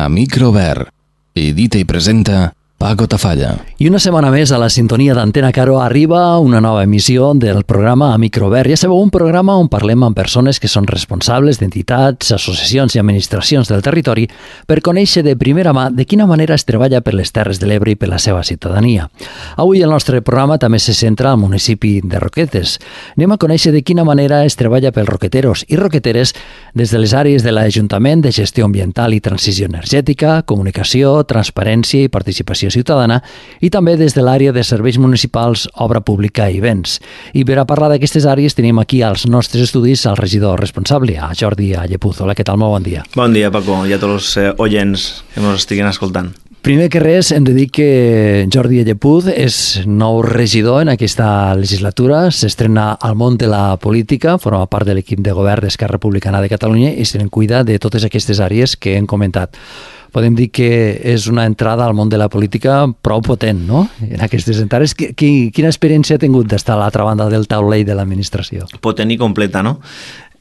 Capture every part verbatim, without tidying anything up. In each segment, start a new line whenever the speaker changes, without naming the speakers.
a micro obert. Edita i presenta Paco Tafalla.
I una setmana més a la sintonia d'Antena Caro arriba una nova emissió del programa A Micro Obert. Ja sabeu, un programa on parlem amb persones que són responsables d'entitats, associacions i administracions del territori per conèixer de primera mà de quina manera es treballa per les Terres de l'Ebre i per la seva ciutadania. Avui el nostre programa també se centra al municipi de Roquetes. Anem a conèixer de quina manera es treballa pels roqueteros i roqueteres des de les àrees de l'Ajuntament de Gestió Ambiental i Transició Energètica, Comunicació, Transparència i Participació Ciutadana, i també des de l'àrea de serveis municipals, obra pública i béns. I per a parlar d'aquestes àrees tenim aquí als nostres estudis el regidor responsable, a Jordi Allepuz. Hola, què tal? Molt bon dia.
Bon dia, Paco, i a tots els eh, oients que ens estiguin escoltant.
Primer que res, hem de dir que Jordi Allepuz és nou regidor en aquesta legislatura, s'estrena al món de la política, forma part de l'equip de govern d'Esquerra Republicana de Catalunya i se'n cuida de totes aquestes àrees que hem comentat. Podem dir que és una entrada al món de la política prou potent, no?, en aquestes entrades. Quina experiència ha tingut d'estar a l'altra banda del taulell de l'administració?
Potent i completa, no?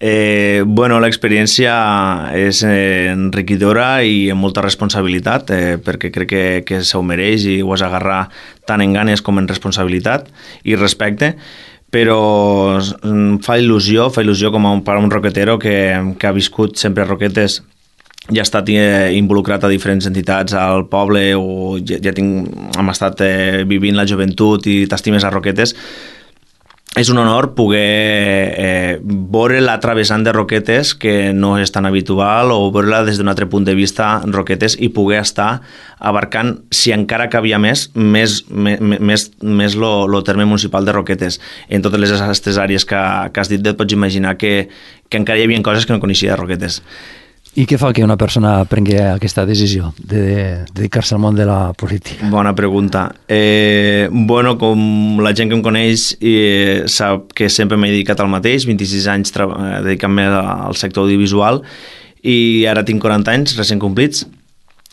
Eh, bueno, l'experiència és eh, enriquidora i amb molta responsabilitat, eh, perquè crec que, que s'ho mereix i ho has d'agarrar tant en ganes com en responsabilitat i respecte, però fa il·lusió, fa il·lusió com a un, per a un roquetero que, que ha viscut sempre a Roquetes i ha estat eh, involucrat a diferents entitats al poble o ja, ja tinc, hem estat eh, vivint la joventut i t'estimes a Roquetes. És un honor poder eh, veure l'altra vessant de Roquetes, que no és tan habitual, o veure-la des d'un altre punt de vista Roquetes i poder estar abarcant, si encara cabia més, més, més, més, més lo, lo terme municipal de Roquetes. En totes les aquestes àrees que, que has dit, et pots imaginar que, que encara hi havia coses que no coneixia de Roquetes.
I què fa que una persona prengui aquesta decisió de dedicar-se al món de la política?
Bona pregunta. Eh, bueno, com la gent que em coneix eh, sap que sempre m'he dedicat al mateix, vint-i-sis anys eh, dedicant-me al sector audiovisual i ara tinc quaranta anys recent complits.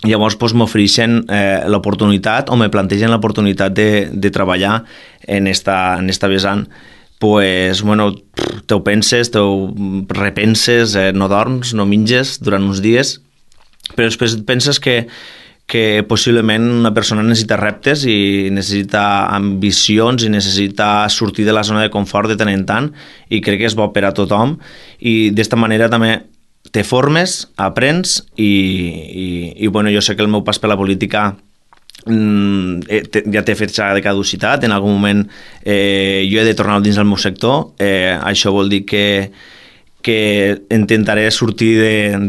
Llavors doncs, m'ofereixen eh, l'oportunitat o me plantegen l'oportunitat de, de treballar en esta, en esta vessant. Pues, bueno, te ho penses, te ho repenses, eh, no dorms, no menges durant uns dies, però després penses que, que possiblement una persona necessita reptes i necessita ambicions i necessita sortir de la zona de confort de tant en tant, i crec que és bo per a tothom, i d'esta manera també te formes, aprens, i, i, i bueno, jo sé que el meu pas per la política ja t'he fet ja de caducitat, en algun moment eh, jo he de tornar dins del meu sector, eh, això vol dir que, que intentaré sortir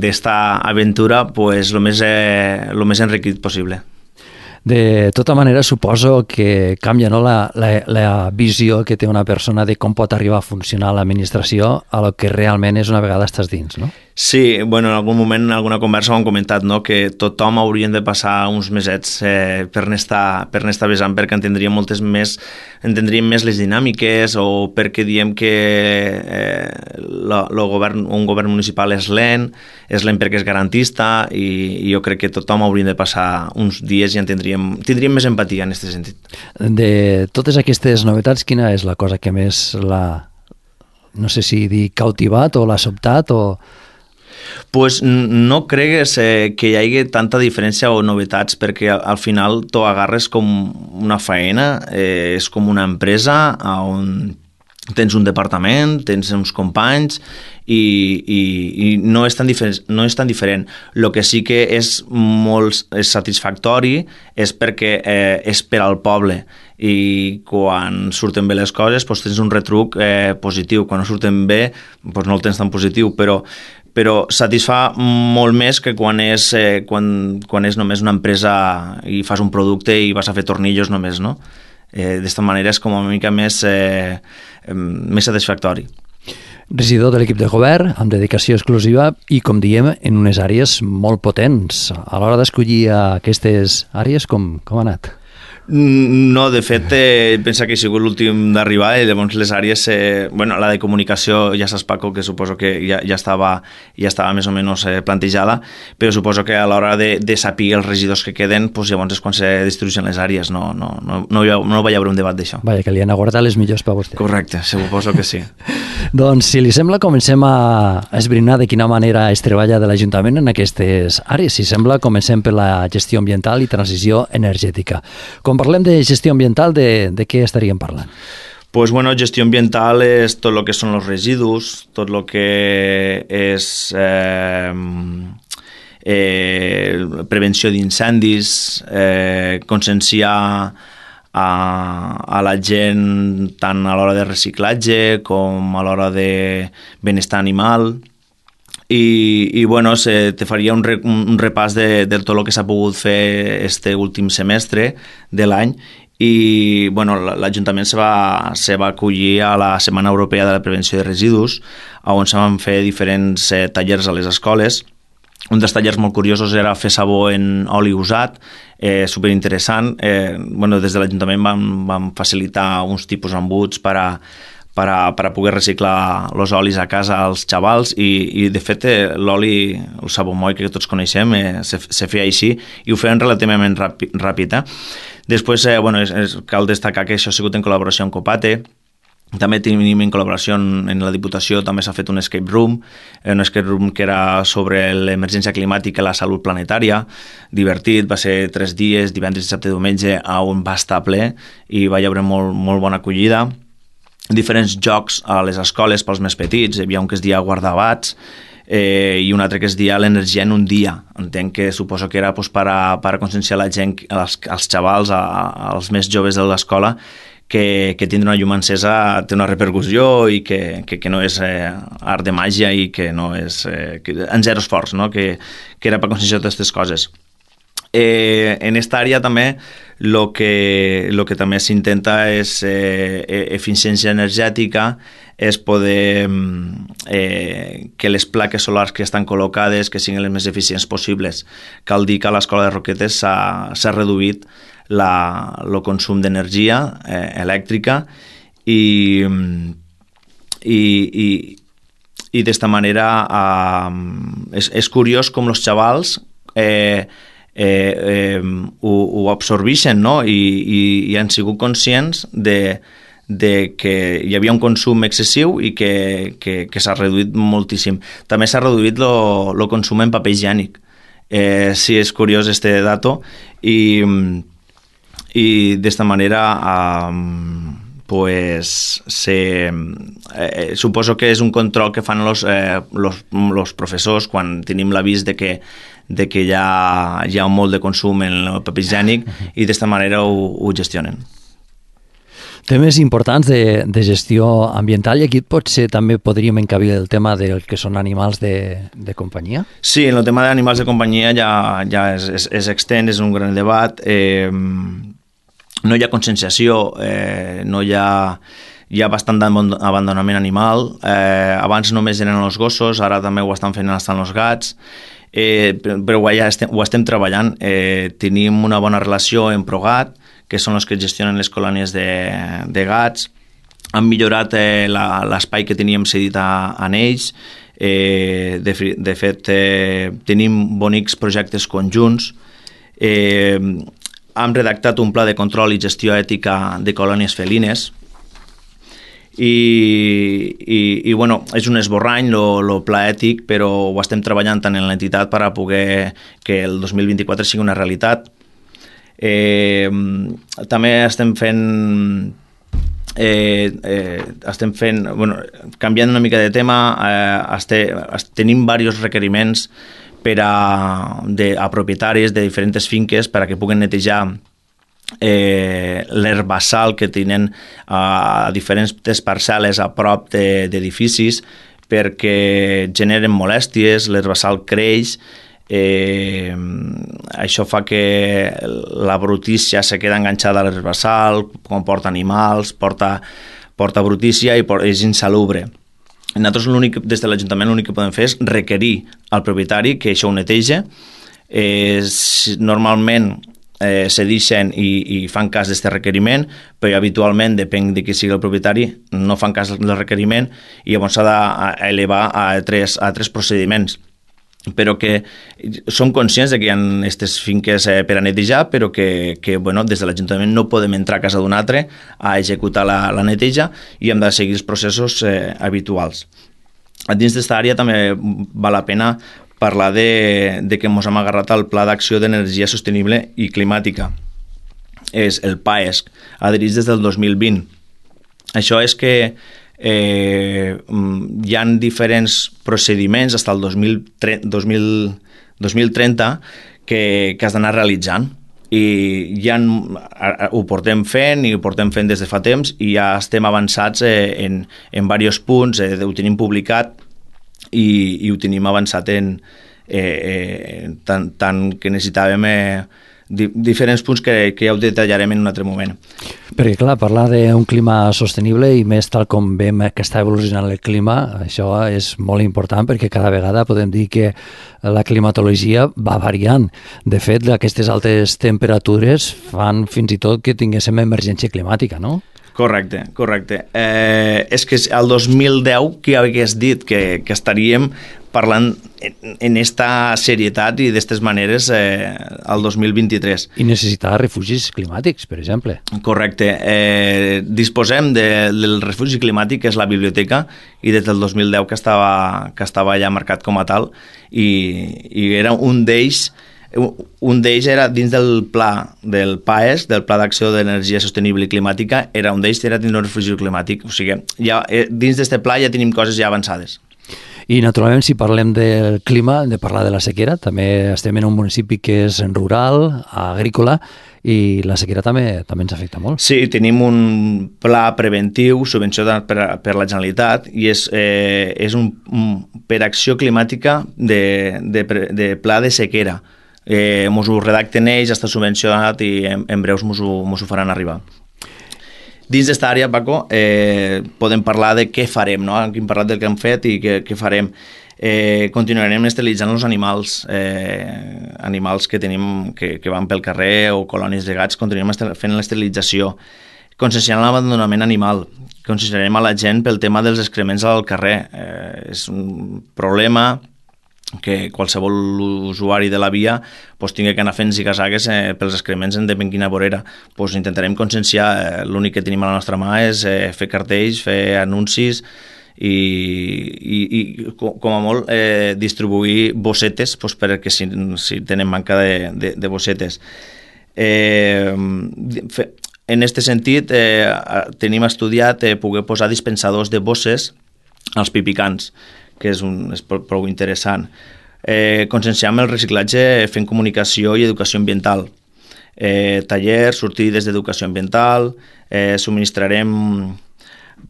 d'esta aventura pues, el més, eh, el més enriquit possible.
De tota manera, suposo que canvia, no, la, la, la visió que té una persona de com pot arribar a funcionar l'administració a lo que realment és una vegada estàs dins, no?
Sí, bueno, en algun moment, en alguna conversa ho hem comentat, no?, que tothom haurien de passar uns mesets eh, per n'estar per n'estar vessant, perquè entendríem moltes més, entendríem més les dinàmiques, o perquè diem que eh, lo, lo govern, un govern municipal és lent, és lent perquè és garantista, i, i jo crec que tothom hauria de passar uns dies i entendríem, tindríem més empatia en aquest sentit.
De totes aquestes novetats, quina és la cosa que més l'ha, no sé si dir cautivat o l'ha sobtat o...
Pues no cregues eh, que hi hagi tanta diferència o novetats, perquè al, al final t'ho agarres com una faena, eh, és com una empresa on tens un departament, tens uns companys i, i, i no és tan diferent. No és tan diferent. El que sí que és molt és satisfactori és perquè eh, és per al poble, i quan surten bé les coses doncs tens un retruc eh, positiu. Quan no surten bé doncs no el tens tan positiu, però però satisfà molt més que quan és, eh, quan, quan és només una empresa i fas un producte i vas a fer tornillos només, no? Eh, d'esta manera és com una mica més, eh, més satisfactori.
Regidor de l'equip de govern, amb dedicació exclusiva i, com diem, en unes àrees molt potents. A l'hora d'escollir aquestes àrees, com, com ha anat?
No, de fet, eh, pensa que he sigut l'últim d'arribar i llavors les àrees, eh, bueno, la de comunicació ja saps, Paco, que suposo que ja, ja, estava, ja estava més o menys eh, plantejada, però suposo que a l'hora de, de saber els regidors que queden, pues, llavors és quan se distribueixen les àrees, no, no, no, no, hi ha, no va haver un debat d'això.
Vaja, que li han aguardat les millors per vostè.
Correcte, suposo que sí.
Doncs, si li sembla, comencem a esbrinar de quina manera es treballa de l'Ajuntament en aquestes àrees. Si sembla, comencem per la gestió ambiental i transició energètica. Com parlem de gestió ambiental, de, de què estaríem parlant?
Pues bueno, gestió ambiental és tot el que són els residus, tot el que és eh, eh, prevenció d'incendis, eh, conscienciar a, a la gent tant a l'hora de reciclatge com a l'hora de benestar animal. I, i bueno, se, te faria un, re, un repàs de, de tot el que s'ha pogut fer este últim semestre de l'any i bueno, l'Ajuntament se va, se va acollir a la Setmana Europea de la Prevenció de Residus, on se van fer diferents eh, tallers a les escoles. Un dels tallers molt curiosos era fer sabó en oli usat, eh, superinteressant. Eh, bueno, des de l'Ajuntament vam, vam facilitar uns tipus d'embuts per a per a, per a poder reciclar els olis a casa als xavals i, i de fet l'oli, el sabó moll que tots coneixem, eh, se, se feia així i ho feien relativament ràpid. ràpid eh? Després, eh, bueno, és, és, cal destacar que això ha sigut en col·laboració amb Copate. També tenim en col·laboració en la Diputació, també s'ha fet un escape room, un escape room que era sobre l'emergència climàtica i la salut planetària, divertit, va ser tres dies, divendres, dissabte i diumenge, on va estar ple i va hi haver molt, molt bona acollida. Diferents jocs a les escoles pels més petits, hi havia un que es deia guardabats eh, i un altre que es deia l'energia en un dia. Entenc que suposo que era pues, per, a, per a conscienciar la gent, als, als xavals, a, als més joves de l'escola, que, que tindre una llum encesa té una repercussió i que, que, que no és eh, art de màgia i que no és eh, que, en zero esforç, no? que, que era per conscienciar totes aquestes coses. Eh, en esta àrea també el que, lo que també s'intenta és eh, eficiència energètica, és poder eh, que les plaques solars que estan col·locades que siguin les més eficients possibles. Cal dir que a l'Escola de Roquetes s'ha reduït la, el consum d'energia eh, elèctrica i, i, i, i d'esta manera eh, és, és curiós com els xavals eh, Eh, eh, ho, ho absorbeixen, no? I, i, i han sigut conscients de, de que hi havia un consum excessiu i que, que, que s'ha reduït moltíssim. També s'ha reduït el consum en paper higiènic. Eh, sí, és curiós este dato i, i d'esta manera eh, pues, se, eh, suposo que és un control que fan els eh, los, los professors quan tenim l'avís de que de que hi ha, hi ha molt de consum en el paper higiènic i d'esta manera ho, ho gestionen.
Temes importants de, de gestió ambiental i aquí potser també podríem encabir el tema del que són animals de, de companyia?
Sí, en el tema d'animals de companyia ja, ja és, és, és extens, és un gran debat. Eh, no hi ha conscienciació, eh, no hi ha... Hi ha bastant d'abandonament animal. Eh, abans només eren els gossos, ara també ho estan fent estan els gats. Eh, però ja estem, ho estem treballant. Eh, tenim una bona relació amb ProGat, que són els que gestionen les colònies de, de gats. Han millorat eh, l'espai que teníem cedit a, a ells. Eh, de, de fet, eh, tenim bonics projectes conjunts. Eh, hem redactat un pla de control i gestió ètica de colònies felines. I, i, i bueno, és un esborrany el pla ètic, però ho estem treballant tant en l'entitat per a poder que el dos mil vint-i-quatre sigui una realitat. Eh, també estem fent eh, eh, estem fent bueno, canviant una mica de tema, eh, este, tenim diversos requeriments per a, de, a propietaris de diferents finques per a que puguen netejar Eh, l'herbassal que tenen a diferents parcel·les a prop d'edificis perquè generen molèsties, l'herbassal creix, eh, això fa que la brutícia se queda enganxada a l'herbassal, comporta animals, porta, porta brutícia i és insalubre. Nosaltres l'únic, des de l'Ajuntament l'únic que podem fer és requerir al propietari que això ho neteja. Eh, normalment eh, cedixen i, i fan cas d'aquest requeriment, però habitualment, depèn de qui sigui el propietari, no fan cas del requeriment i llavors s'ha d'elevar a tres, a tres procediments. Però que som conscients de que hi ha aquestes finques eh, per a netejar, però que, que bueno, des de l'Ajuntament no podem entrar a casa d'un altre a executar la, la neteja i hem de seguir els processos eh, habituals. A dins d'esta àrea també val la pena parlar de, de que ens hem agarrat al Pla d'Acció d'Energia Sostenible i Climàtica. És el PAESC, adherits des del dos mil vint. Això és que Eh, hi ha diferents procediments fins al dos mil trenta que, que has d'anar realitzant i ja ho portem fent i ho portem fent des de fa temps i ja estem avançats eh, en, en diversos punts, eh, ho tenim publicat i, i ho tenim avançat en eh, eh, tant, tant que necessitàvem eh, di, diferents punts que, que ja ho detallarem en un altre moment.
Perquè, clar, parlar d'un clima sostenible i més tal com veiem que està evolucionant el clima, això és molt important perquè cada vegada podem dir que la climatologia va variant. De fet, aquestes altes temperatures fan fins i tot que tinguéssim emergència climàtica, no?
Correcte, correcte. Eh, és que el dos mil deu qui hagués dit que, que estaríem parlant en esta serietat i d'aquestes maneres eh, al dos mil vint-i-tres.
I necessitar refugis climàtics, per exemple.
Correcte. Eh, disposem de, del refugi climàtic, que és la biblioteca, i des del dos mil deu que estava, que estava ja marcat com a tal, i, i era un d'ells un d'ells era dins del pla del PAESC, del Pla d'Acció d'Energia Sostenible i Climàtica, era un d'ells era dins un refugi climàtic, o sigui, ja, dins d'aquest pla ja tenim coses ja avançades.
I naturalment, si parlem del clima, hem de parlar de la sequera. També estem en un municipi que és rural, agrícola, i la sequera també també ens afecta molt.
Sí, tenim un pla preventiu subvencionat per, per la Generalitat i és, eh, és un, un per acció climàtica de, de, de pla de sequera. Eh, mos ho redacten ells, està subvencionat i en, en breus mos ho, mos ho faran arribar. Dins d'esta àrea, Paco, eh, podem parlar de què farem, no? Hem parlat del que hem fet i què, què farem. Eh, continuarem esterilitzant els animals, eh, animals que tenim que, que van pel carrer o colònies de gats, continuem fent l'esterilització. Conscienciant l'abandonament animal, conscienciarem a la gent pel tema dels excrements al carrer. Eh, és un problema que qualsevol usuari de la via pues, tingui que anar fent zigazagues eh, pels excrements en depèn quina vorera. Pues, intentarem conscienciar, eh, l'únic que tenim a la nostra mà és eh, fer cartells, fer anuncis i, i, i com a molt eh, distribuir bossetes pues, perquè si, si tenen manca de, de, de bossetes. Eh, fe, en aquest sentit eh, tenim estudiat eh, poder posar dispensadors de bosses als pipicans, que és, un, és prou interessant. Eh, conscienciam el reciclatge fent comunicació i educació ambiental. Eh, tallers, sortides d'educació ambiental, eh, subministrarem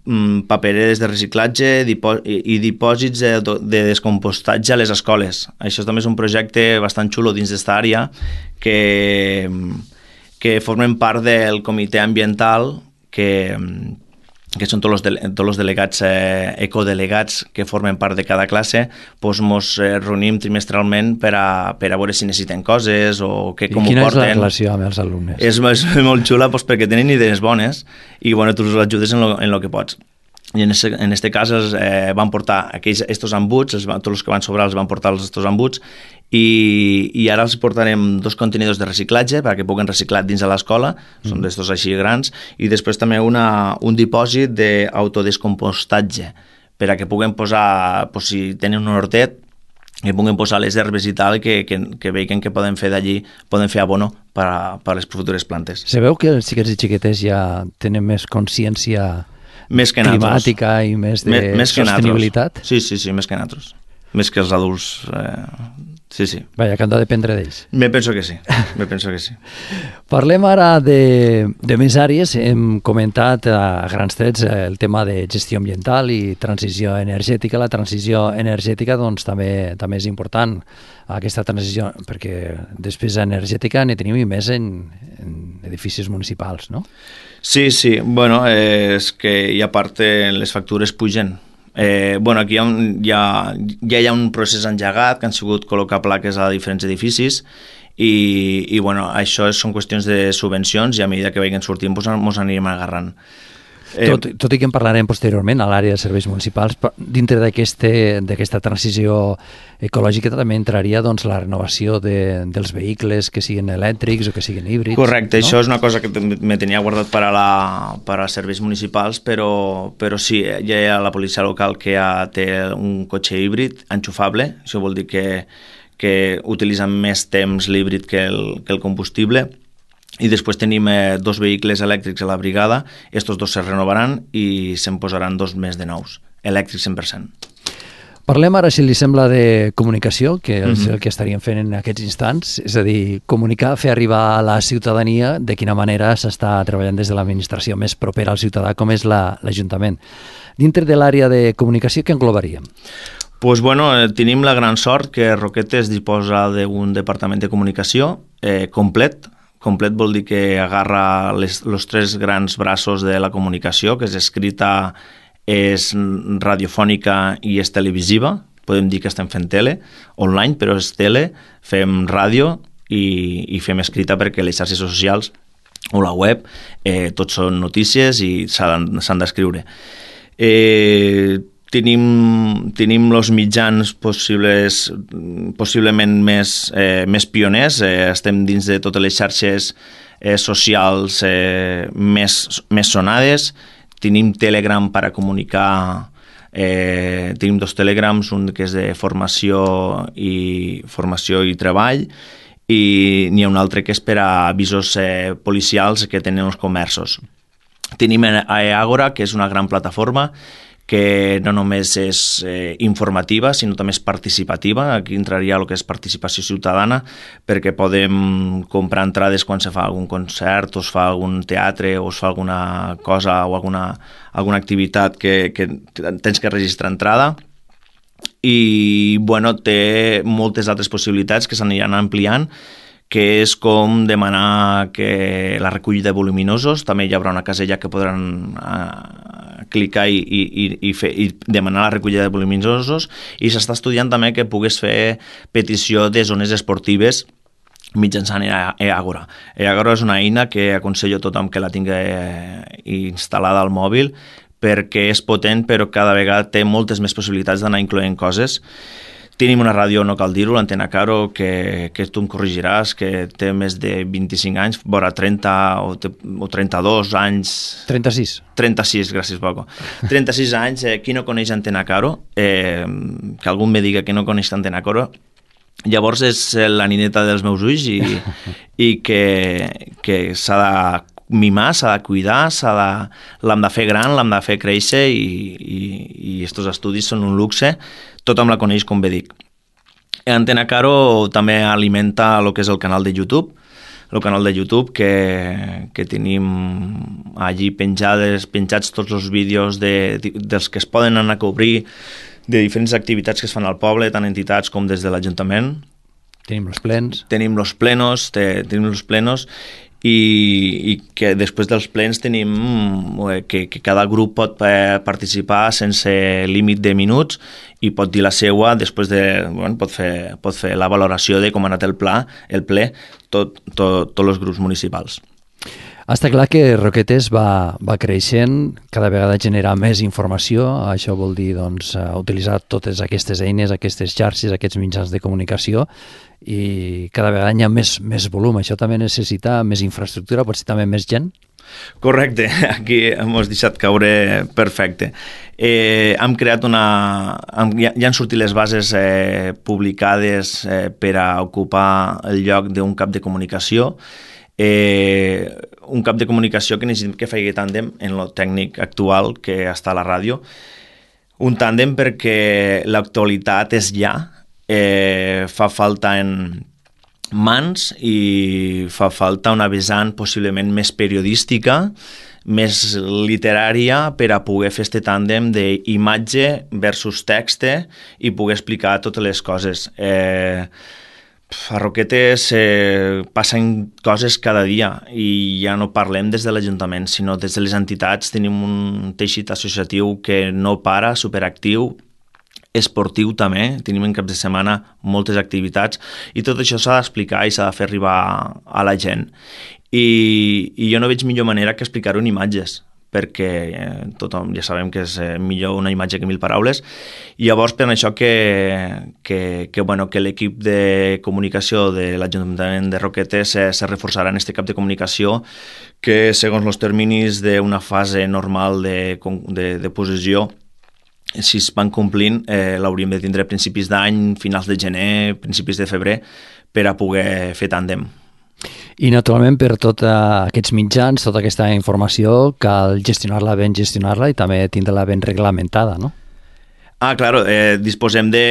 mm, papereres de reciclatge dipò i, i dipòsits de, de descompostatge a les escoles. Això també és un projecte bastant xulo dins d'esta àrea que, que formen part del comitè ambiental que que són tots els, de, tots els delegats, eh, ecodelegats que formen part de cada classe, doncs mos eh, reunim trimestralment per a, per a veure si necessiten coses o que, com ho porten. I quina és
la relació amb els alumnes?
És, és molt xula doncs, perquè tenen idees bones i bueno, tu els ajudes en lo, en lo que pots. I en este, en este cas els, eh, van portar aquells, estos embuts, els, tots els que van sobrar els van portar els estos embuts i, i ara els portarem dos contenidors de reciclatge perquè puguen reciclar dins de l'escola, mm. són d'estos així grans, i després també una, un dipòsit d'autodescompostatge per a que puguen posar, pues, si tenen un hortet, que puguen posar les herbes i tal, que, que, que vegin que poden fer d'allí, poden fer abono per a, per a les futures plantes.
Se veu que els xiquets i xiquetes ja tenen més consciència
més que
climàtica i més de més, més sostenibilitat?
Sí, sí, sí, més que nosaltres. Més que els adults. Eh, sí, sí.
Vaja, que han de dependre d'ells.
Me penso que sí, me penso que sí.
Parlem ara de, de més àrees. Hem comentat a grans trets el tema de gestió ambiental i transició energètica. La transició energètica doncs, també, també és important, aquesta transició, perquè despesa energètica ne tenim i més en, en edificis municipals, no?
Sí, sí. Bueno, eh, és que i a part les factures pugen. Eh, bueno, aquí hi ha, un, hi ha, ja hi ha un procés engegat que han sigut col·locar plaques a diferents edificis i, i bueno, això són qüestions de subvencions i a mesura que vagin sortint ens doncs, anirem agarrant.
Eh, tot, tot i que en parlarem posteriorment a l'àrea de serveis municipals, dintre d'aquesta transició ecològica també entraria doncs, la renovació de, dels vehicles que siguin elèctrics o que siguin híbrids.
Correcte,
no?
Això és una cosa que me tenia guardat per a, la, per a serveis municipals, però, però sí, ja hi ha la policia local que ja té un cotxe híbrid enxufable, això vol dir que, que utilitzen més temps l'híbrid que el, que el combustible. I després tenim eh, dos vehicles elèctrics a la brigada, estos dos se renovaran i se'n posaran dos més de nous, elèctrics cent per cent.
Parlem ara, si li sembla, de comunicació, que és
Mm-hmm.
el que estaríem fent en aquests instants, és a dir, comunicar, fer arribar a la ciutadania de quina manera s'està treballant des de l'administració més propera al ciutadà, com és l'Ajuntament. Dintre de l'àrea de comunicació, què englobaríem?
Pues bueno, eh, tenim la gran sort que Roquetes disposa d'un departament de comunicació eh, complet. Complet vol dir que agarra les, els tres grans braços de la comunicació, que és escrita, és radiofònica i és televisiva. Podem dir que estem fent tele, online, però és tele, fem ràdio i, i fem escrita perquè les xarxes socials o la web, eh, tot són notícies i s'han d'escriure. Eh, Tenim, tenim els mitjans possibles, possiblement més, eh, més pioners, eh, estem dins de totes les xarxes eh, socials eh, més, més sonades, tenim Telegram per a comunicar, eh, tenim dos Telegrams, un que és de formació i, formació i treball, i n'hi ha un altre que és per a avisos eh, policials que tenen els comerços. Tenim Agora, que és una gran plataforma, que no només és eh, informativa, sinó també és participativa. Aquí entraria el que és participació ciutadana, perquè podem comprar entrades quan se fa algun concert, o es fa algun teatre, o es fa alguna cosa o alguna, alguna activitat que, que tens que registrar entrada. I bueno, té moltes altres possibilitats que s'aniran ampliant, que és com demanar que la recollida de voluminosos, també hi haurà una casella que podran eh, clicar i, i, i, fer, i demanar la recollida de voluminosos, i s'està estudiant també que pugues fer petició de zones esportives mitjançant Agora. Agora és una eina que aconsello a tothom que la tingui instal·lada al mòbil, perquè és potent, però cada vegada té moltes més possibilitats d'anar incloent coses. Tenim una ràdio, no cal dir-ho, l'Antena Caro, que, que tu em corregiràs, que té més de vint-i-cinc anys, vora trenta o, o trenta-dos anys...
trenta-sis.
trenta-sis, gràcies, Paco. trenta-sis anys, eh, qui no coneix Antena Caro? Eh, que algú me diga que no coneix Antena Caro. Llavors és la nineta dels meus ulls i, i que, que s'ha de mimar, s'ha de cuidar, s'ha de, l'hem de fer gran, l'hem de fer créixer i, i, i estos estudis són un luxe. Tothom la coneix, com bé dic. Antena Caro també alimenta el que és el canal de YouTube, el canal de YouTube que, que tenim allí penjades, penjats tots els vídeos de, dels que es poden anar a cobrir, de diferents activitats que es fan al poble, tant entitats com des de l'Ajuntament.
Tenim els plens.
Tenim els plenos, te, tenim els plenos i, i que després dels plens tenim que, que cada grup pot eh, participar sense límit de minuts i pot dir la seua, després de, bueno, pot fer, pot fer la valoració de com ha anat el pla, el ple, tot, tot, tots els grups municipals.
Està clar que Roquetes va, va creixent, cada vegada genera més informació, això vol dir doncs, utilitzar totes aquestes eines, aquestes xarxes, aquests mitjans de comunicació, i cada vegada hi ha més, més volum. Això també necessita més infraestructura, potser també més gent?
Correcte, aquí hem deixat caure perfecte. Eh, hem creat una... Hem, ja, ja han sortit les bases eh, publicades eh, per a ocupar el lloc d'un cap de comunicació. Eh, un cap de comunicació que necessitem que faci tàndem en el tècnic actual que està a la ràdio. Un tàndem perquè l'actualitat és ja, eh, fa falta en mans i fa falta una vessant possiblement més periodística, més literària, per a poder fer este tàndem d'imatge versus text i poder explicar totes les coses. Eh, A Roquetes eh, passen coses cada dia i ja no parlem des de l'Ajuntament, sinó des de les entitats. Tenim un teixit associatiu que no para, superactiu, esportiu també, tenim en cap de setmana moltes activitats i tot això s'ha d'explicar i s'ha de fer arribar a la gent. I, i jo no veig millor manera que explicar-ho en imatges, perquè eh, tothom ja sabem que és eh, millor una imatge que mil paraules, i llavors per això que, que, que, bueno, que l'equip de comunicació de l'Ajuntament de Roquetes se, se reforçarà en aquest cap de comunicació que segons els terminis d'una fase normal de, de, de possessió, si es van complint, eh, l'hauríem de tindre a principis d'any, finals de gener, principis de febrer, per a poder fer tàndem.
I naturalment per tots aquests mitjans, tota aquesta informació, cal gestionar-la ben, gestionar-la i també tindre-la ben reglamentada, no?
Ah, claro, eh, disposem de...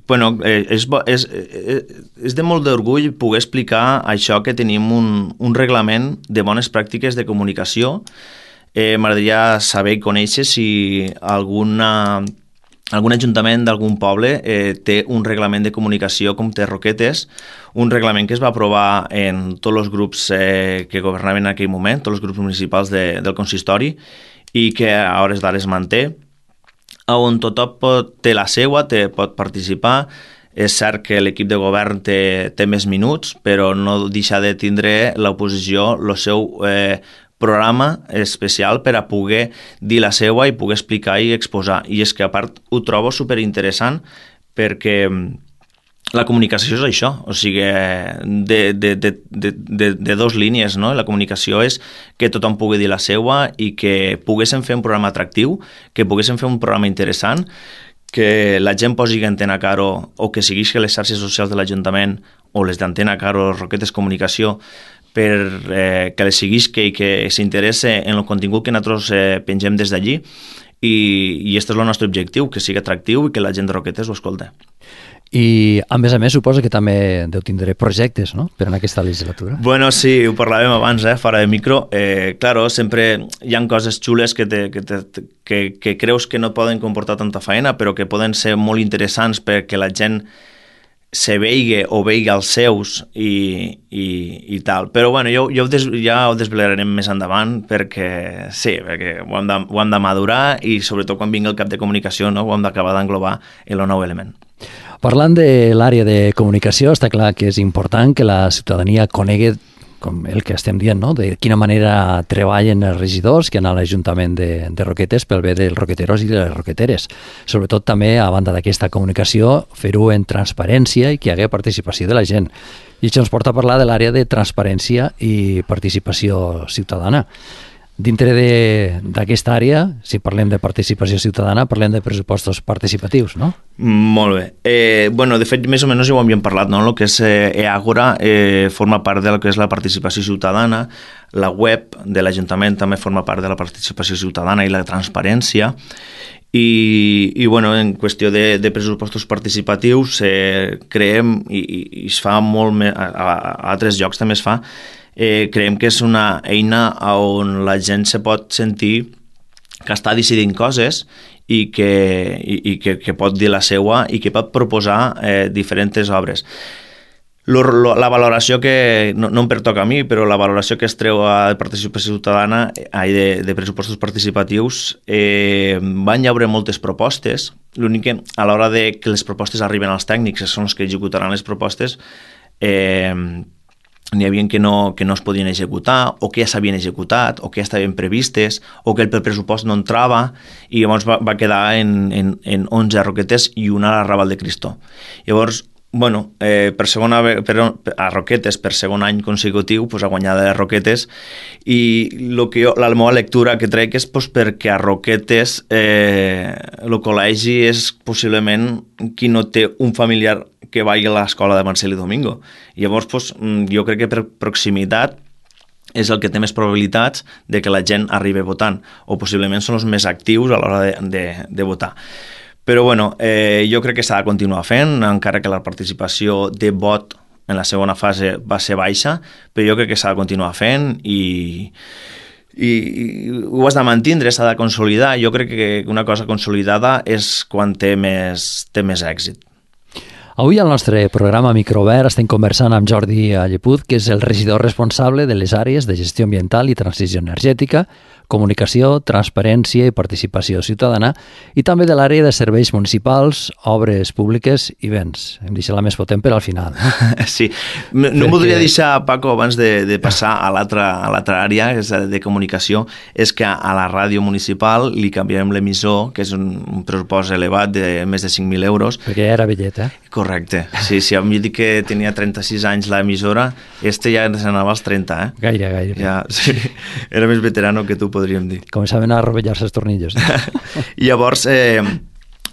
Bueno, eh, és, és, és de molt d'orgull poder explicar això que tenim un, un reglament de bones pràctiques de comunicació. Eh, M'agradaria saber i conèixer si alguna... algun ajuntament d'algun poble eh, té un reglament de comunicació com té Roquetes, un reglament que es va aprovar en tots els grups eh, que governaven en aquell moment, tots els grups municipals de, del consistori, i que a hores d'ara es manté, on tothom pot, té la seua, té, pot participar. És cert que l'equip de govern té, té més minuts, però no deixa de tindre l'oposició el seu eh, programa especial per a poder dir la seva i poder explicar i exposar. I és que a part ho trobo superinteressant perquè la comunicació és això, o sigui, de, de, de, de, de, de dos línies, no? La comunicació és que tothom pugui dir la seva i que poguéssim fer un programa atractiu, que poguéssim fer un programa interessant, que la gent posi Antena Caro o que segueixi les xarxes socials de l'Ajuntament o les d'Antena Caro, Roquetes Comunicació, per eh, que les seguisca i que s'interesse en el contingut que nosaltres eh, pengem des d'allí i, i aquest és el nostre objectiu, que sigui atractiu i que la gent de Roquetes ho escolta.
I, a més a més, suposo que també deu tindre projectes, no?, per en aquesta legislatura.
Bueno, sí, ho parlàvem abans, eh, fora de micro. Eh, claro, sempre hi ha coses xules que, te, que, te, que, que creus que no poden comportar tanta feina, però que poden ser molt interessants perquè la gent se veigui o veigui els seus i, i, i tal. Però bueno, jo, jo ho des, ja ho desvelarem més endavant perquè sí, perquè ho hem, de, ho hem de madurar i sobretot quan vingui el cap de comunicació, no, ho hem d'acabar d'englobar en el nou element.
Parlant de l'àrea de comunicació, està clar que és important que la ciutadania conegui, com el que estem dient, no?, de quina manera treballen els regidors que han a l'Ajuntament de, de Roquetes pel bé dels roqueteros i de les roqueteres. Sobretot també, a banda d'aquesta comunicació, fer-ho en transparència i que hi hagi participació de la gent. I això ens porta a parlar de l'àrea de transparència i participació ciutadana. Dintre d'aquesta àrea, si parlem de participació ciutadana, parlem de pressupostos participatius, no?
Molt bé. Eh, bueno, de fet, més o menys ja ho havíem parlat, no? El que és eh, eAgora eh, forma part del que és la participació ciutadana, la web de l'Ajuntament també forma part de la participació ciutadana i la transparència, i, i bueno, en qüestió de, de pressupostos participatius eh, creem, i, i es fa molt més, a, a, a altres llocs també es fa, Eh, creiem que és una eina on la gent se pot sentir que està decidint coses i que, i, i que, que pot dir la seua i que pot proposar eh, diferents obres. Lo, lo, la valoració que, no, no em pertoca a mi, però la valoració que es treu a participació ciutadana, ai, de, de pressupostos participatius, eh, van llaure moltes propostes. L'únic que a l'hora de que les propostes arriben als tècnics, que són els que executaran les propostes, eh, n'hi havia que no, que no es podien executar, o que ja s'havien executat, o que ja estaven previstes, o que el pressupost no entrava, i llavors va, va quedar en, en, en onze Roquetes i una a la Raval de Cristo. Llavors, bueno, eh, per segona, per, a Roquetes, per segon any consecutiu, pues, ha guanyat les Roquetes, i lo que jo, la meva lectura que trec és pues, perquè a Roquetes eh, el col·legi és possiblement qui no té un familiar que vagi a l'escola de Marcel i Domingo. I llavors, pues, jo crec que per proximitat és el que té més probabilitats de que la gent arribi votant, o possiblement són els més actius a l'hora de, de, de votar. Però bueno, eh, jo crec que s'ha de continuar fent, encara que la participació de vot en la segona fase va ser baixa, però jo crec que s'ha de continuar fent i, i, i ho has de mantindre, s'ha de consolidar. Jo crec que una cosa consolidada és quan té més, té més èxit.
Avui al nostre programa Microobert estem conversant amb Jordi Lleput, que és el regidor responsable de les àrees de gestió ambiental i transició energètica, comunicació, transparència i participació ciutadana, i també de l'àrea de serveis municipals, obres públiques i béns. Hem deixat la més potent per al final.
Sí, no Perquè... voldria deixar, Paco, abans de, de passar a l'altra àrea, és de comunicació, és que a la ràdio municipal li canviarem l'emissor, que és un, un pressupost elevat de més de cinc mil euros.
Perquè ja era vellet, eh?
Correcte. Sí, sí, a mi dic que tenia trenta-sis anys l'emissora, este ja s'anava als trenta, eh?
Gaire, gaire.
Ja, sí, era més veterano que tu, podríem dir.
Començaven a rovellar-se els tornillos.
I llavors, eh,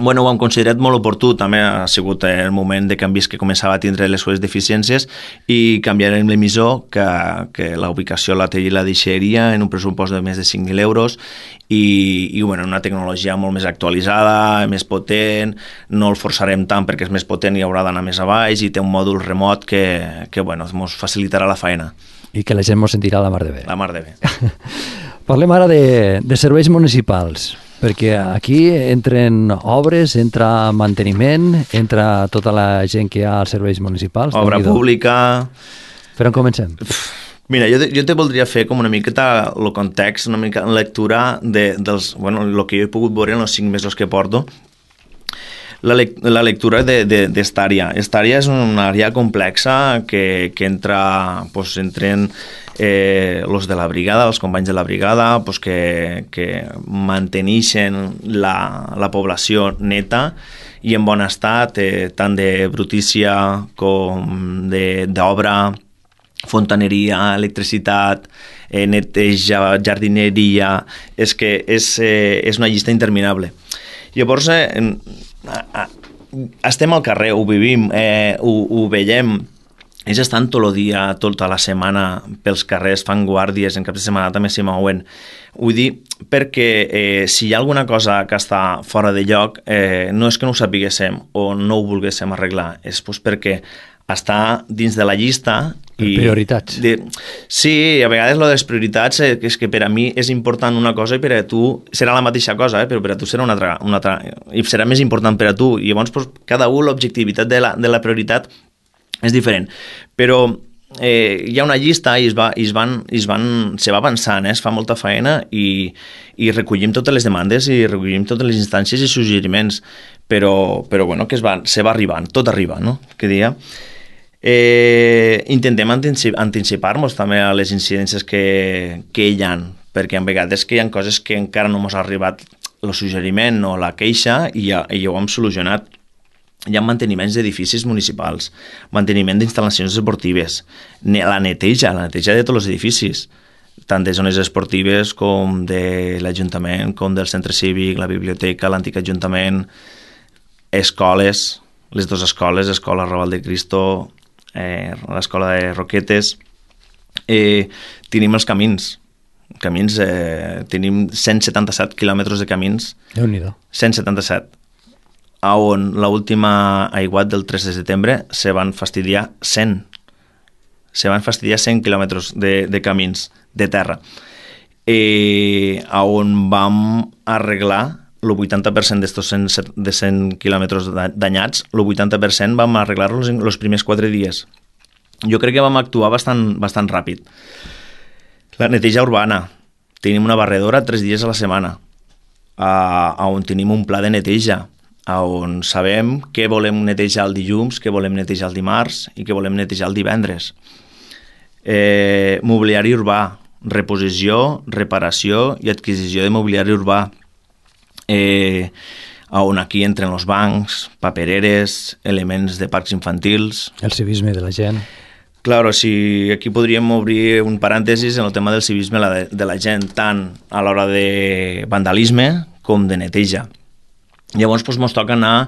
bueno, ho hem considerat molt oportú, també ha sigut el moment de canvis que començava a tindre les seves deficiències i canviarem l'emissor, que, que la ubicació la, la deixaria en un pressupost de més de cinc mil euros i, i bueno, una tecnologia molt més actualitzada, més potent, no el forçarem tant perquè és més potent i haurà d'anar més a baix i té un mòdul remot que, que bueno, ens facilitarà la feina.
I que la gent ens sentirà la mar de bé.
La mar de bé.
Parlem ara de, de serveis municipals, perquè aquí entren obres, entra manteniment, entra tota la gent que hi ha als serveis municipals.
Obra pública...
Per on comencem?
Mira, jo, jo te voldria fer com una miqueta el context, una mica lectura de, dels, bueno, el que jo he pogut veure en els cinc mesos que porto. La, le la lectura d'esta àrea. Esta àrea és una àrea complexa que, que entra, pues, entren eh, los de la brigada, els companys de la brigada, pues, que, que manteneixen la, la població neta i en bon estat, eh, tant de brutícia com d'obra, fontaneria, electricitat, eh, neteja, jardineria... És que és, eh, és una llista interminable. Llavors, eh, estem al carrer, ho vivim, eh, ho, ho veiem, ells estan tot el dia, tota la setmana pels carrers, fan guàrdies, en cap de setmana també s'hi mouen. Vull dir, perquè eh, si hi ha alguna cosa que està fora de lloc, eh, no és que no ho sapiguéssim o no ho volguéssim arreglar, és pues, perquè està dins de la llista.
I prioritats.
De, sí, a vegades lo de les prioritats eh, és que per a mi és important una cosa i per a tu serà la mateixa cosa, eh, però per a tu serà una altra, una altra i serà més important per a tu. I llavors pues, cada un l'objectivitat de, la, de la prioritat és diferent. Però eh, hi ha una llista i es va, i es van, i es van, se va avançant, eh, es fa molta feina i, i recollim totes les demandes i recollim totes les instàncies i suggeriments, però, però bueno, que es va, se va arribant, tot arriba, no? Que dia... Eh, intentem anticipar-nos també a les incidències que, que hi ha, perquè en vegades que hi ha coses que encara no ens ha arribat el suggeriment o la queixa i ja, i ja ho hem solucionat. Hi ha manteniments d'edificis municipals, manteniment d'instal·lacions esportives, la neteja, la neteja de tots els edificis, tant de zones esportives com de l'Ajuntament, com del centre cívic, la biblioteca, l'antic Ajuntament, escoles, les dues escoles, Escola Raval de Cristo, eh, l'escola de Roquetes, eh, tenim els camins, camins eh, tenim cent setanta-set quilòmetres de camins,
Déu-n'hi-do.
cent setanta-set, on l'última aiguat del tres de setembre se van fastidiar cent, se van fastidiar cent quilòmetres de, de camins de terra, eh, on vam arreglar el vuitanta per cent d'estos de cent quilòmetres danyats, el vuitanta per cent vam arreglar-los en els primers quatre dies. Jo crec que vam actuar bastant, bastant ràpid. La neteja urbana. Tenim una barredora tres dies a la setmana, a, on tenim un pla de neteja, on sabem què volem netejar el dilluns, què volem netejar el dimarts i què volem netejar el divendres. Eh, mobiliari urbà, reposició, reparació i adquisició de mobiliari urbà. Eh, on aquí entren els bancs, papereres, elements de parcs infantils...
El civisme de la gent.
Claro, si aquí podríem obrir un parèntesis en el tema del civisme de la gent, tant a l'hora de vandalisme com de neteja. Llavors, doncs, ens toca anar,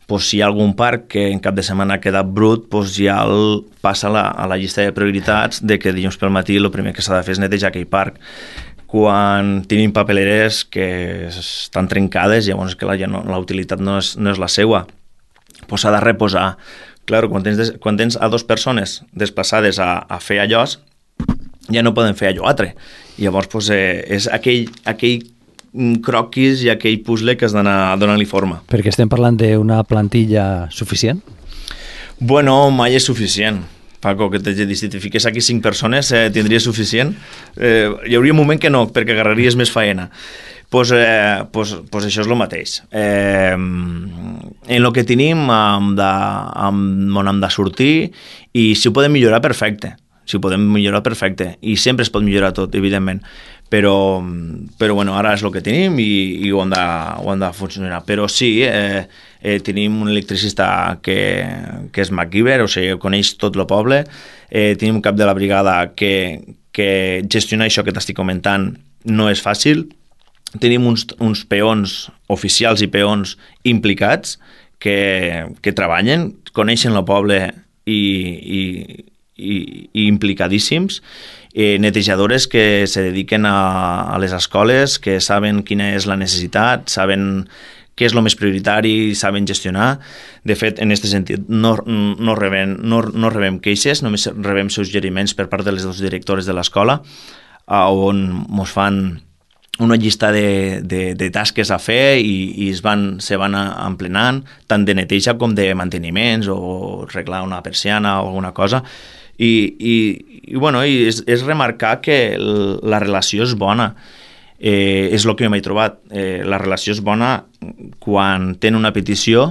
doncs, si hi ha algun parc que en cap de setmana ha quedat brut, doncs ja el passa a la, a la llista de prioritats de que dilluns pel matí el primer que s'ha de fer és netejar aquell parc. Quan tenim papeleres que estan trencades, llavors que la, ja no, la utilitat no és, no és la seva, doncs s'ha de reposar. Clar, quan tens, quan tens a dues persones desplaçades a, a fer allò, ja no poden fer allò altre. Llavors doncs, eh, és aquell, aquell croquis i aquell puzzle que has d'anar donant-li forma.
Perquè estem parlant d'una plantilla suficient?
Bueno, mai és suficient. Paco, que te, si te fiques aquí cinc persones eh, tindria suficient. Eh, hi hauria un moment que no, perquè agarraries més faena. Pues, eh, pues, pues això és el mateix. Eh, en el que tenim hem de, hem, hem de sortir i si ho podem millorar, perfecte. Si ho podem millorar, perfecte. I sempre es pot millorar tot, evidentment. Però, però bueno, ara és el que tenim i, i ho, hem de, ho hem de funcionar. Però sí, eh, eh, tenim un electricista que, que és MacGyver, o sigui, coneix tot el poble. Eh, tenim un cap de la brigada que, que gestionar això que t'estic comentant no és fàcil. Tenim uns, uns peons oficials i peons implicats que, que treballen, coneixen el poble i, i, i, i implicadíssims, eh, netejadores que se dediquen a, a les escoles, que saben quina és la necessitat, saben què és el més prioritari, saben gestionar. De fet, en aquest sentit, no, no, rebem, no, no rebem queixes, només rebem suggeriments per part de les dues directores de l'escola, on ens fan una llista de, de, de tasques a fer i, i es van, se van emplenant, tant de neteja com de manteniments o arreglar una persiana o alguna cosa. I, i, i, bueno, i és, és remarcar que la relació és bona. Eh, és el que jo m'he trobat. Eh, la relació és bona quan tenen una petició,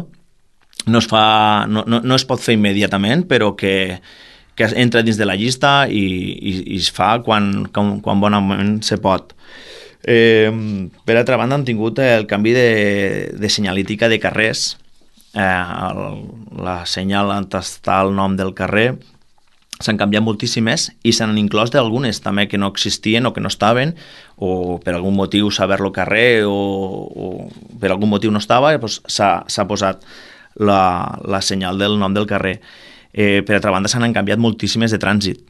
no es, fa, no, no, no es pot fer immediatament, però que, que entra dins de la llista i, i, i es fa quan, quan, quan bonament se pot. Eh, per altra banda, han tingut el canvi de, de senyalítica de carrers. Eh, el, la senyal on està el nom del carrer s'han canviat moltíssimes i s'han inclòs d'algunes també que no existien o que no estaven, o per algun motiu saber-lo carrer o, o per algun motiu no estava, doncs s'ha posat la, la senyal del nom del carrer. Eh, per altra banda, s'han canviat moltíssimes de trànsit.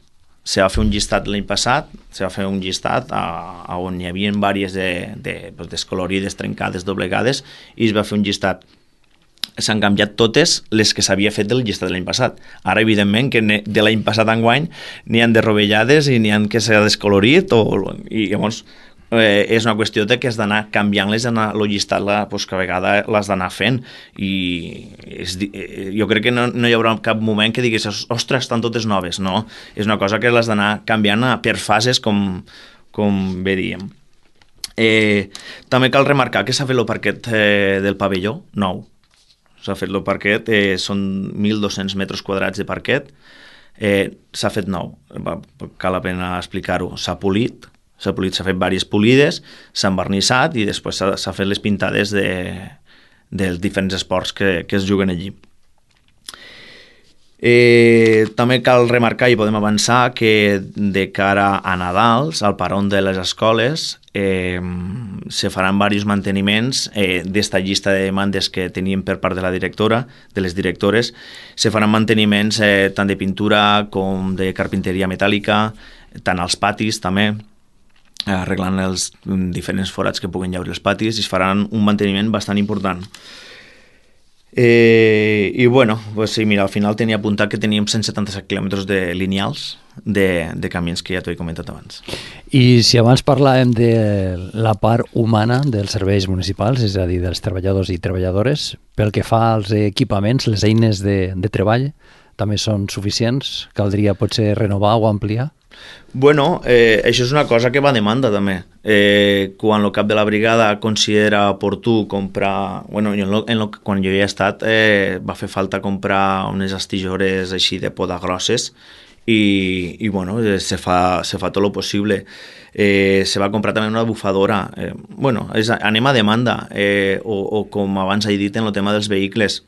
Se va fer un llistat l'any passat, se va fer un llistat a, a on hi havia diverses de, de, pues, descolorides, trencades, doblegades, i es va fer un llistat. S'han canviat totes les que s'havia fet del llistat de l'any passat. Ara, evidentment, que de l'any passat a enguany n'hi han de rovellades i n'hi han que s'ha descolorit, o, i llavors eh, és una qüestió de que has d'anar canviant-les, el llistat la, pues, que a vegada l'has d'anar fent, i és, jo crec que no, no hi haurà cap moment que diguis, ostres, estan totes noves. No, és una cosa que l'has d'anar canviant per fases, com, com bé diem. Eh, també cal remarcar que s'ha fet el parquet eh, del pavelló nou. S'ha fet el parquet, eh, són mil dos-cents metres quadrats de parquet, eh, s'ha fet nou, cal la pena explicar-ho, s'ha polit, s'ha polit, s'ha fet diverses polides, s'ha envernissat i després s'ha fet les pintades de, dels diferents esports que, que es juguen allí. Eh, també cal remarcar i podem avançar que de cara a Nadals, al paron de les escoles, eh, se faran diversos manteniments eh, d'esta llista de demandes que teníem per part de la directora, de les directores. Se faran manteniments eh, tant de pintura com de carpinteria metàl·lica, tant als patis també, arreglant els diferents forats que puguen llaure els patis, i es faran un manteniment bastant important. Eh, i bueno, pues sí, mira, al final tenia apuntat que teníem cent setanta-set quilòmetres de lineals de, de camins que ja t'ho he comentat abans.
I si abans parlàvem de la part humana dels serveis municipals, és a dir, dels treballadors i treballadores, pel que fa als equipaments, les eines de, de treball també són suficients? Caldria potser renovar o ampliar?
Bueno, eh, això és una cosa que va a demanda també. Eh, quan el cap de la brigada considera oportú comprar... Bueno, en lo, en lo, quan jo hi he estat eh, va fer falta comprar unes astillores així de poda grosses i, i bueno, se fa, se fa tot el possible. Eh, se va comprar també una bufadora. Eh, bueno, és, anem a demanda. Eh, o, o com abans he dit en el tema dels vehicles,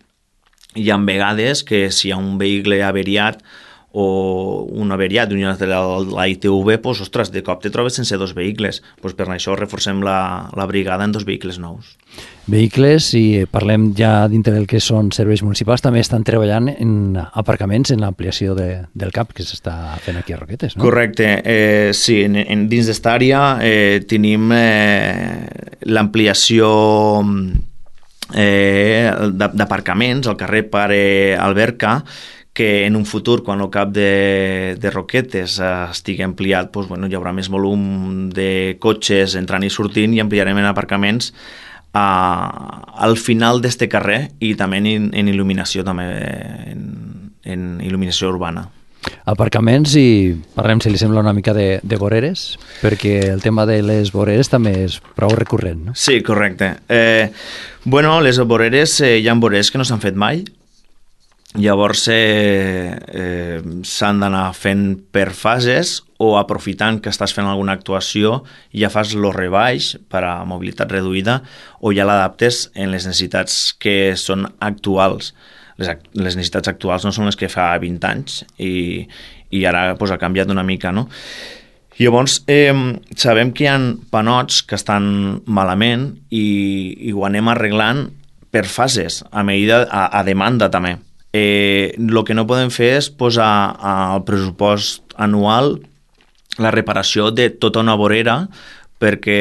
hi ha vegades que si hi ha un vehicle averiat o un averiat d'una de la, la I T V, pues, ostres, de cop te trobes sense dos vehicles. Pues per això reforcem la, la brigada en dos vehicles nous.
Vehicles, si parlem ja dintre del que són serveis municipals, també estan treballant en aparcaments, en l'ampliació de, del CAP que s'està fent aquí a Roquetes, no?
Correcte, eh, sí, en, en, dins d'esta àrea eh, tenim eh, l'ampliació eh, d'aparcaments al carrer Pare Alberca, que en un futur, quan el cap de, de Roquetes eh, estigui ampliat, doncs, bueno, hi haurà més volum de cotxes entrant i sortint i ampliarem en aparcaments a, al final d'este carrer i també en, en il·luminació també en, en il·luminació urbana.
Aparcaments, i parlem, si li sembla, una mica de, de voreres, perquè el tema de les voreres també és prou recurrent, no?
Sí, correcte. Eh, bueno, les voreres, eh, hi ha voreres que no s'han fet mai, llavors eh, eh, s'han d'anar fent per fases, o aprofitant que estàs fent alguna actuació ja fas el rebaix per a mobilitat reduïda, o ja l'adaptes en les necessitats que són actuals. Les, les necessitats actuals no són les que fa vint anys i, i ara pues, ha canviat una mica, no? Llavors, eh, sabem que hi ha panots que estan malament i, i ho anem arreglant per fases, a medida, a, a demanda també. Eh, el que no podem fer és posar al pressupost anual la reparació de tota una vorera, perquè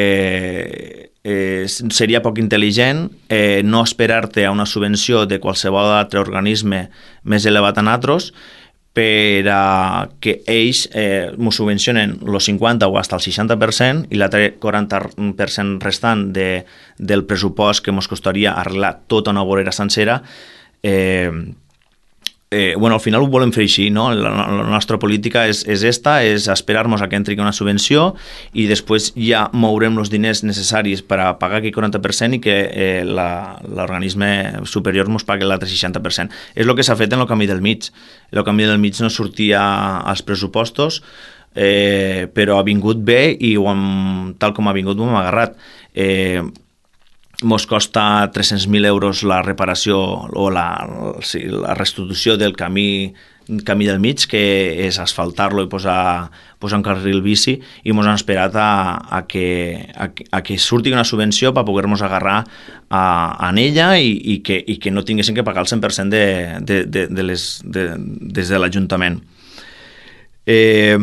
eh, seria poc intel·ligent eh, no esperar-te a una subvenció de qualsevol altre organisme més elevat a nosaltres per a que ells eh, m'ho subvencionen el cinquanta o fins el seixanta per cent i l'altre quaranta per cent restant de, del pressupost que ens costaria arreglar tota una vorera sencera. Eh, Eh, bueno, al final ho volem fer així, no? La, la nostra política és, és esta, és esperar-nos a que entri una subvenció i després ja mourem els diners necessaris per a pagar aquell quaranta per cent i que eh, l'organisme superior ens pagui l'altre seixanta per cent. És el que s'ha fet en el camí del mig. El camí del mig no sortia als pressupostos, eh, però ha vingut bé i ho hem, tal com ha vingut ho hem agarrat. Eh, Ens costa tres-cents mil euros la reparació o la, sí, la restitució del camí, camí del mig, que és asfaltar-lo i posar, posar un carril bici, i ens han esperat a, a, que, a, a que surti una subvenció per poder-nos agarrar a, a ella i, i, que, i que no tinguessin que pagar el cent per cent de, de, de, de les, de, des de l'Ajuntament. Eh...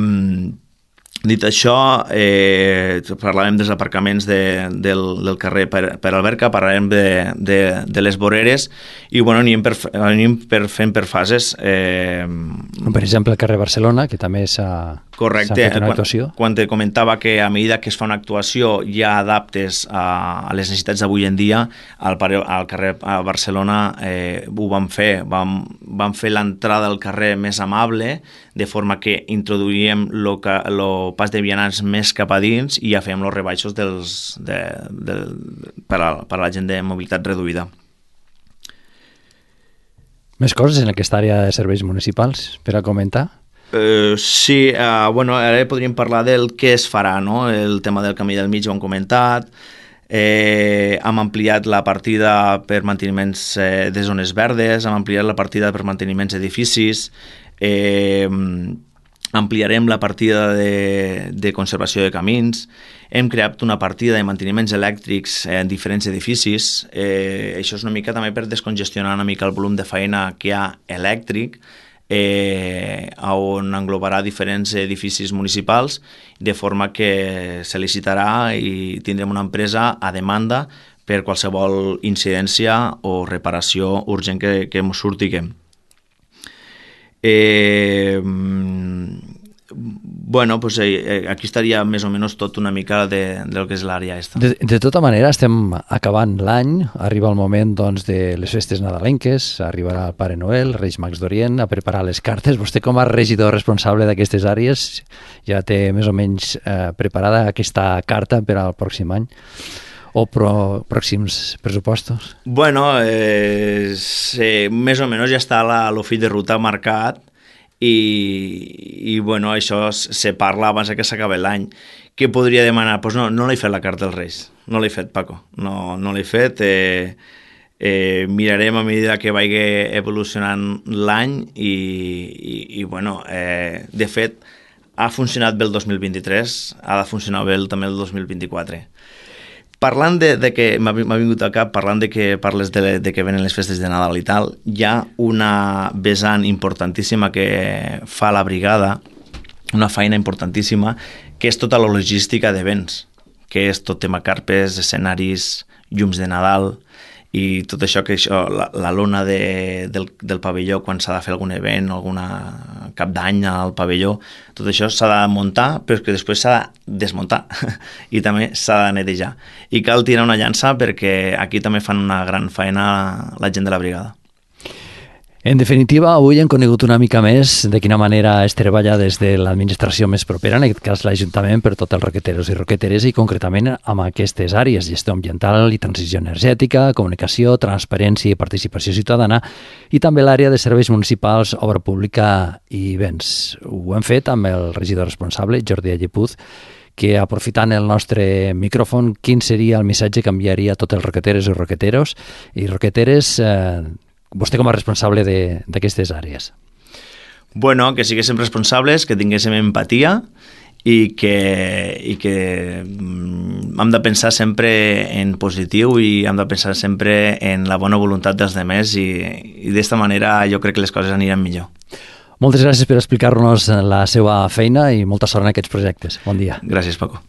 Dit això, eh, parlàvem dels aparcaments de, del, del carrer per, per Alberca, parlàvem de, de, de les voreres i bueno, anem, per, anem per, fent per fases. Eh,
per exemple, el carrer Barcelona, que també s'ha fet una actuació.
Quan, quan te comentava que a mesura que es fa una actuació ja adaptes a, a les necessitats d'avui en dia, al, al carrer a Barcelona eh, ho vam fer. Vam, vam fer l'entrada al carrer més amable, de forma que introduïem el pas de vianants més cap a dins i ja fèiem els rebaixos dels, de, de, per, a, per a la gent de mobilitat reduïda.
Més coses en aquesta àrea de serveis municipals per a comentar?
Uh, sí, uh, bueno, ara podríem parlar del què es farà, no? El tema del camí del mig ho hem comentat, eh, hem ampliat la partida per manteniments eh, de zones verdes, hem ampliat la partida per manteniments d'edificis, Eh, ampliarem la partida de, de conservació de camins, hem creat una partida de manteniments elèctrics en diferents edificis, eh, això és una mica també per descongestionar una mica el volum de feina que hi ha elèctric, eh, on englobarà diferents edificis municipals, de forma que se licitarà i tindrem una empresa a demanda per qualsevol incidència o reparació urgent que, que ens surtiguem. Eh, bueno, pues eh, aquí estaria més o menys tot una mica de, del que és l'àrea esta.
De, de tota manera, estem acabant l'any, arriba el moment doncs, de les festes nadalenques, arribarà el Pare Noel, Reis Mags d'Orient, a preparar les cartes. Vostè, com a regidor responsable d'aquestes àrees, ja té més o menys eh, preparada aquesta carta per al pròxim any? O pro, pròxims pressupostos?
Bueno, eh, sí, més o menys ja està el fill de ruta marcat i, i bueno, això se parla abans que s'acabi l'any. Què podria demanar? Pues no, no l'he fet la carta dels Reis. No l'he fet, Paco. No, no l'he fet. Eh, eh, mirarem a mesura que vagi evolucionant l'any i, i, i bueno, eh, de fet, ha funcionat bé el dos mil vint-i-tres, ha de funcionar bé també el dos mil vint-i-quatre. Parlant de, de que m'ha vingut al cap, parlant de que parles de, de que venen les festes de Nadal i tal, hi ha una vessant importantíssima que fa la brigada, una feina importantíssima, que és tota la logística d'events, que és tot tema carpes, escenaris, llums de Nadal i tot això, que això, la, la lona de, del, del pavelló quan s'ha de fer algun event, alguna cap d'any al pavelló, tot això s'ha de muntar, però que després s'ha de desmuntar i també s'ha de netejar. I cal tirar una llança perquè aquí també fan una gran feina la gent de la brigada.
En definitiva, avui hem conegut una mica més de quina manera es treballa des de l'administració més propera, en aquest cas l'Ajuntament, per tots els roqueteros i roqueteres i concretament amb aquestes àrees, gestió ambiental i transició energètica, comunicació, transparència i participació ciutadana i també l'àrea de serveis municipals, obra pública i béns. Ho hem fet amb el regidor responsable, Jordi Allepuz, que aprofitant el nostre micròfon, quin seria el missatge que enviaria a tots els roqueteros i roqueteros i roqueteres eh, vostè com a responsable d'aquestes àrees?
Bueno, que siguéssim responsables, que tinguéssim empatia i que, i que hem de pensar sempre en positiu i hem de pensar sempre en la bona voluntat dels demés i, i d'esta manera jo crec que les coses aniran millor.
Moltes gràcies per explicar-nos la seva feina i molta sort en aquests projectes. Bon dia.
Gràcies, Paco.